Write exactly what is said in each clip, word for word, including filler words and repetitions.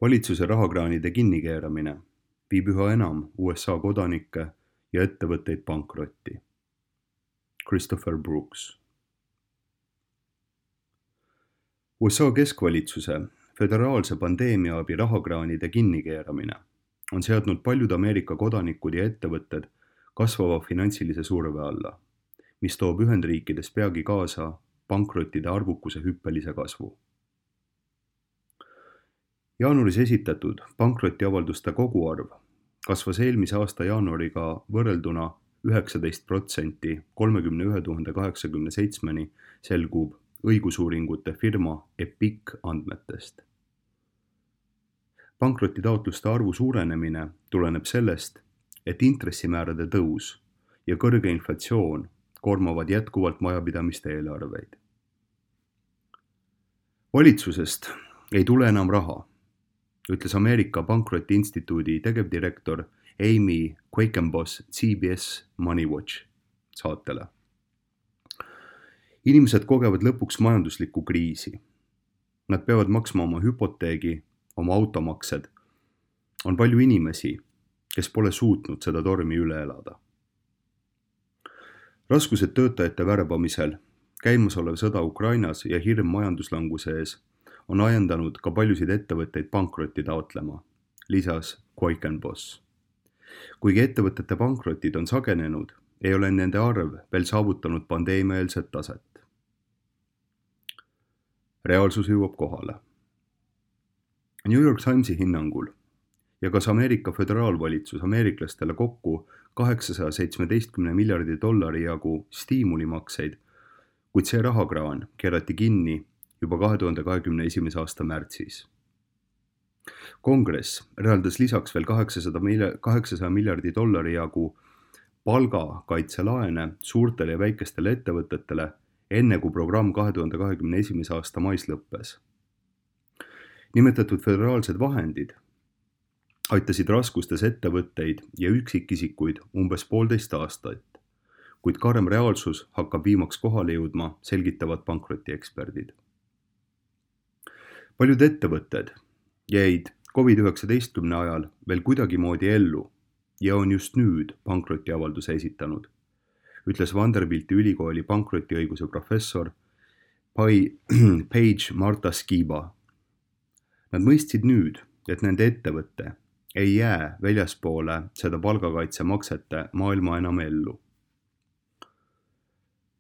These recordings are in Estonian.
Valitsuse rahakraanide kinnikeeramine viib üha enam U S A kodanikke ja ettevõtteid pankrotti. Christopher Brooks. U S A keskvalitsuse föderaalse pandeemiaabi rahakraanide kinnikeeramine on seadnud paljud Ameerika kodanikud ja ettevõtted kasvava finantsilise surve alla, mis toob Ühendriikides peagi kaasa pankrottide arvukuse hüppelise kasvu. Jaanuaris esitatud pankrotiavalduste koguarv kasvas eelmise aasta jaanuariga võrrelduna üheksateist protsenti kolmekümne ühe tuhande kaheksakümne seitsmeni selgub õigusuuringute firma Epiq andmetest. Pankrotitaotluste arvu suurenemine tuleneb sellest, et intressimäärade tõus ja kõrge inflatsioon koormavad jätkuvalt majapidamiste eelarveid. Valitsusest ei tule enam raha, ütles Ameerika Pankrotiinstituudi tegevdirektor Amy Quackenboss C B S Money Watch saatele. Inimesed kogevad lõpuks majanduslikku kriisi. Nad peavad maksma oma hüpoteegi, oma automaksed. On palju inimesi, kes pole suutnud seda tormi üle elada. Raskused töötajate värbamisel, käimasolev sõda Ukrainas ja hirm majanduslanguse ees on ajendanud ka paljusid ettevõtteid pankrotti taotlema, lisas Quackenboss. Kuigi ettevõtete pankrotid on sagenenud, ei ole nende arv veel saavutanud pandeemiaeelset taset. Reaalsus jõuab kohale. New York Timesi hinnangul jagas Ameerika föderaalvalitsus ameeriklastele kokku kaheksasaja seitsmeteistkümne miljardi dollari jagu stiimulimakseid, kuid see rahakraan keerati kinni juba kahe tuhande kahekümne esimese aasta märtsis. Kongress eraldas lisaks veel kaheksasaja miljardi dollari jagu palgakaitselaene suurtele ja väikestele ettevõtetele, enne kui programm kahe tuhande kahekümne esimese aasta mais lõppes. Nimetatud föderaalsed vahendid aitasid raskustes ettevõtteid ja üksikisikuid umbes poolteist aastat, kuid karm reaalsus hakkab viimaks kohale jõudma, selgitavad pankrotieksperdid. Paljud ettevõtted jäid covid üheksateist ajal veel kuidagimoodi ellu ja on just nüüd pankrotiavalduse esitanud, ütles Vanderbilti ülikooli pankrotiõiguse professor Paige Marta Skiba. Nad mõistsid nüüd, et nende ettevõtte ei jää väljaspoole seda palgakaitsemaksete maailma enam ellu.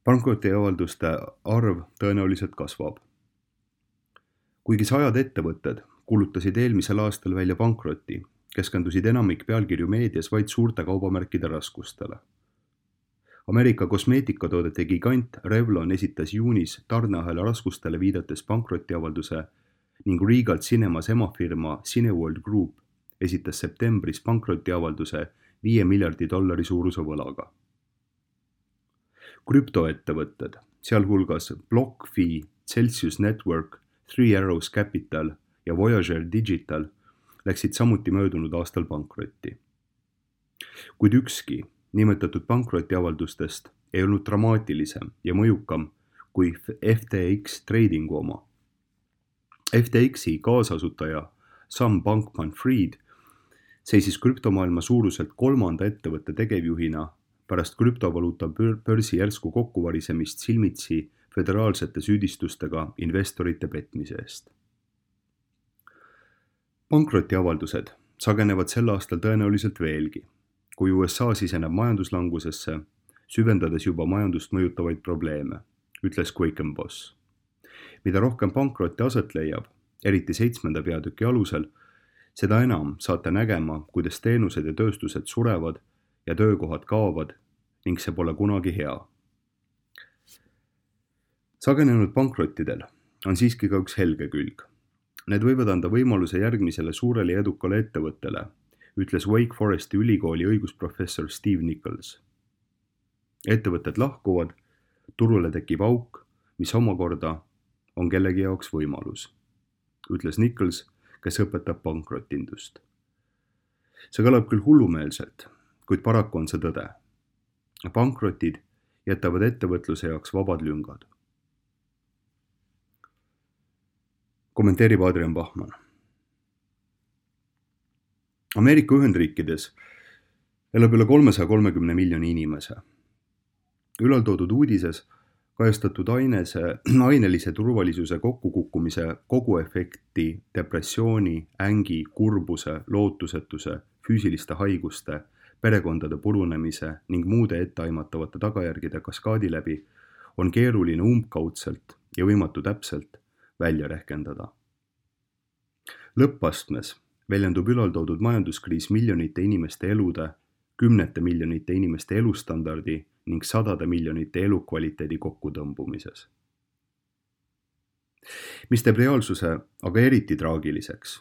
Pankrotiavalduste arv tõenäoliselt kasvab. Kuigi sajad ettevõtted kuulutasid eelmisel aastal välja pankroti, keskendusid enamik pealkirju meedias vaid suurte kaubamärkide raskustele. Ameerika kosmeetikatoodete gigant Revlon esitas juunis tarneahela raskustele viidates pankrotiavalduse ning Regal Cinemas emafirma Cineworld Group esitas septembris pankrotiavalduse viie miljardi dollari suuruse võlaga. Krüptoettevõtted, sealhulgas BlockFi, Celsius Network, Three Arrows Capital ja Voyager Digital läksid samuti möödunud aastal pankrotti. Kuid ükski nimetatud pankrotiavaldustest ei olnud dramaatilisem ja mõjukam kui F T X Tradingu oma. F T Xi kaasasutaja Sam Bankman-Fried seisis krüptomaailma suuruselt kolmanda ettevõtte tegevjuhina pärast krüptovaluuta börsi järsku kokkuvarisemist silmitsi föderaalsete süüdistustega investorite petmise eest. Pankrotiavaldused sagenevad sel aastal tõenäoliselt veelgi, kui U S A siseneb majanduslangusesse, süvendades juba majandust mõjutavaid probleeme, ütles Quackenboss. Mida rohkem pankrotti aset leiab, eriti seitsmenda peatüki alusel, seda enam saate nägema, kuidas teenused ja tööstused surevad ja töökohad kaovad ning see pole kunagi hea. Sagenenud pankrottidel on siiski ka üks helge külg. Need võivad anda võimaluse järgmisele suurele ja edukale ettevõttele, ütles Wake Foresti ülikooli õigusprofessor Steve Nichols. Ettevõtted lahkuvad, turule tekib auk, mis omakorda on kellegi jaoks võimalus, ütles Nichols, kes õpetab pankrotindust. See kõlab küll hullumeelselt, kuid paraku on see tõde. Pankrotid jätavad ettevõtluse jaoks vabad lüngad. Kommenteerib Adrian Bachmann. Ameerika Ühendriikides elab üle kolmesaja kolmekümne miljoni inimese. Ülaltoodud uudises kajastatud ainese, ainelise turvalisuse kokkukukkumise koguefekti, depressiooni, ängi, kurbuse, lootusetuse, füüsiliste haiguste, perekondade purunemise ning muude etteaimatavate tagajärgede kaskaadi läbi on keeruline umbkaudselt ja võimatu täpselt välja rehkendada. Lõppastmes väljendub ülaltoodud majanduskriis miljonite inimeste elude, kümnete miljonite inimeste elustandardi ning sadade miljonite elukvaliteedi kokkutõmbumises. Mis teeb reaalsuse aga eriti traagiliseks,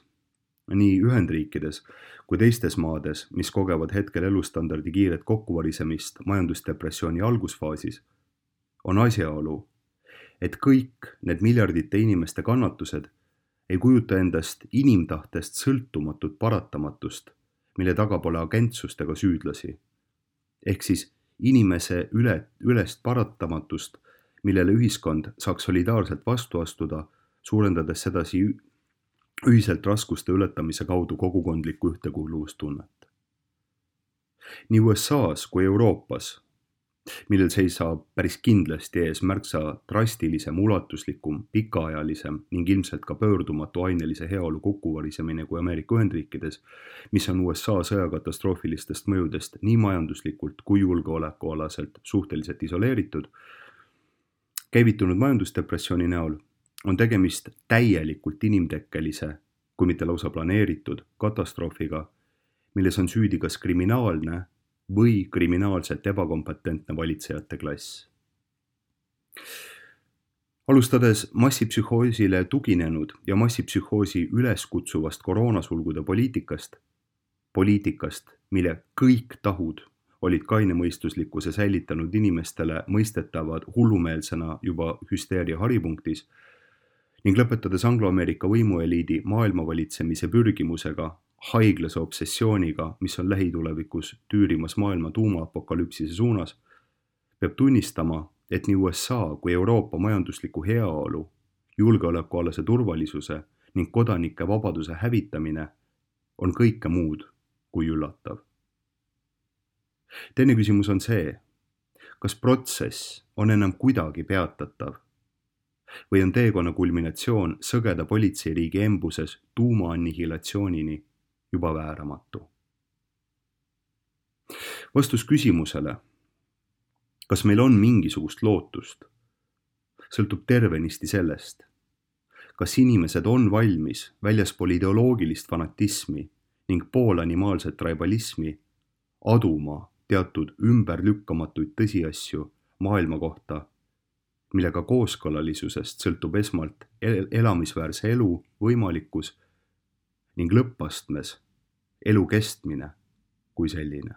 nii Ühendriikides kui teistes maades, mis kogevad hetkel elustandardi kiiret kokkuvarisemist majandusdepressiooni algusfaasis, on asjaolu, et kõik need miljardite inimeste kannatused ei kujuta endast inimtahtest sõltumatut paratamatust, mille taga pole agentsust ega süüdlasi, ehk siis inimese üle, ülest paratamatust, millele ühiskond saaks solidaarselt vastu astuda, suurendades sedasi ühiselt raskuste ületamise kaudu kogukondlikku ühtekuuluvustunnet. Nii U S A-s kui Euroopas, millel seisab päris kindlasti ees märksa drastilisem, ulatuslikum, pikaajalisem ning ilmselt ka pöördumatu ainelise heaolu kokkuvarisemine kui Ameerika Ühendriikides, mis on U S A sõjakatastroofilistest mõjudest nii majanduslikult kui julgeolekualaselt suhteliselt isoleeritud, käivitunud majandusdepressiooni näol on tegemist täielikult inimtekkelise, kui mitte lausa planeeritud katastroofiga, milles on süüdi kas kriminaalne või kriminaalselt ebakompetentne valitsejate klass. Alustades massipsühhoosile tuginenud ja massipsühhoosi üleskutsuvast koroonasulgude poliitikast, poliitikast, mille kõik tahud olid kainemõistuslikkuse säilitanud inimestele mõistetavad hullumeelsena juba hüsteeria haripunktis, ning lõpetades Anglo-Ameerika võimueliidi maailmavalitsemise pürgimusega, haiglase obsessiooniga, mis on lähitulevikus tüürimas maailma tuumaapokalüpsise suunas, peab tunnistama, et nii U S A kui Euroopa majandusliku heaolu, julgeolekualase turvalisuse ning kodanike vabaduse hävitamine on kõike muud kui üllatav. Teine küsimus on see, kas protsess on enam kuidagi peatatav või on teekonna kulminatsioon sõgeda politseiriigi embuses tuumaannihilatsioonini juba vääramatu. Vastus küsimusele, kas meil on mingisugust lootust, sõltub tervenisti sellest, kas inimesed on valmis väljaspool ideoloogilist fanatismi ning poolanimaalset traibalismi aduma teatud ümberlükkamatuid tõsiasju maailma kohta, millega kooskõlalisusest sõltub esmalt elamisväärse elu võimalikkus ning lõppastmes elu kestmine kui selline.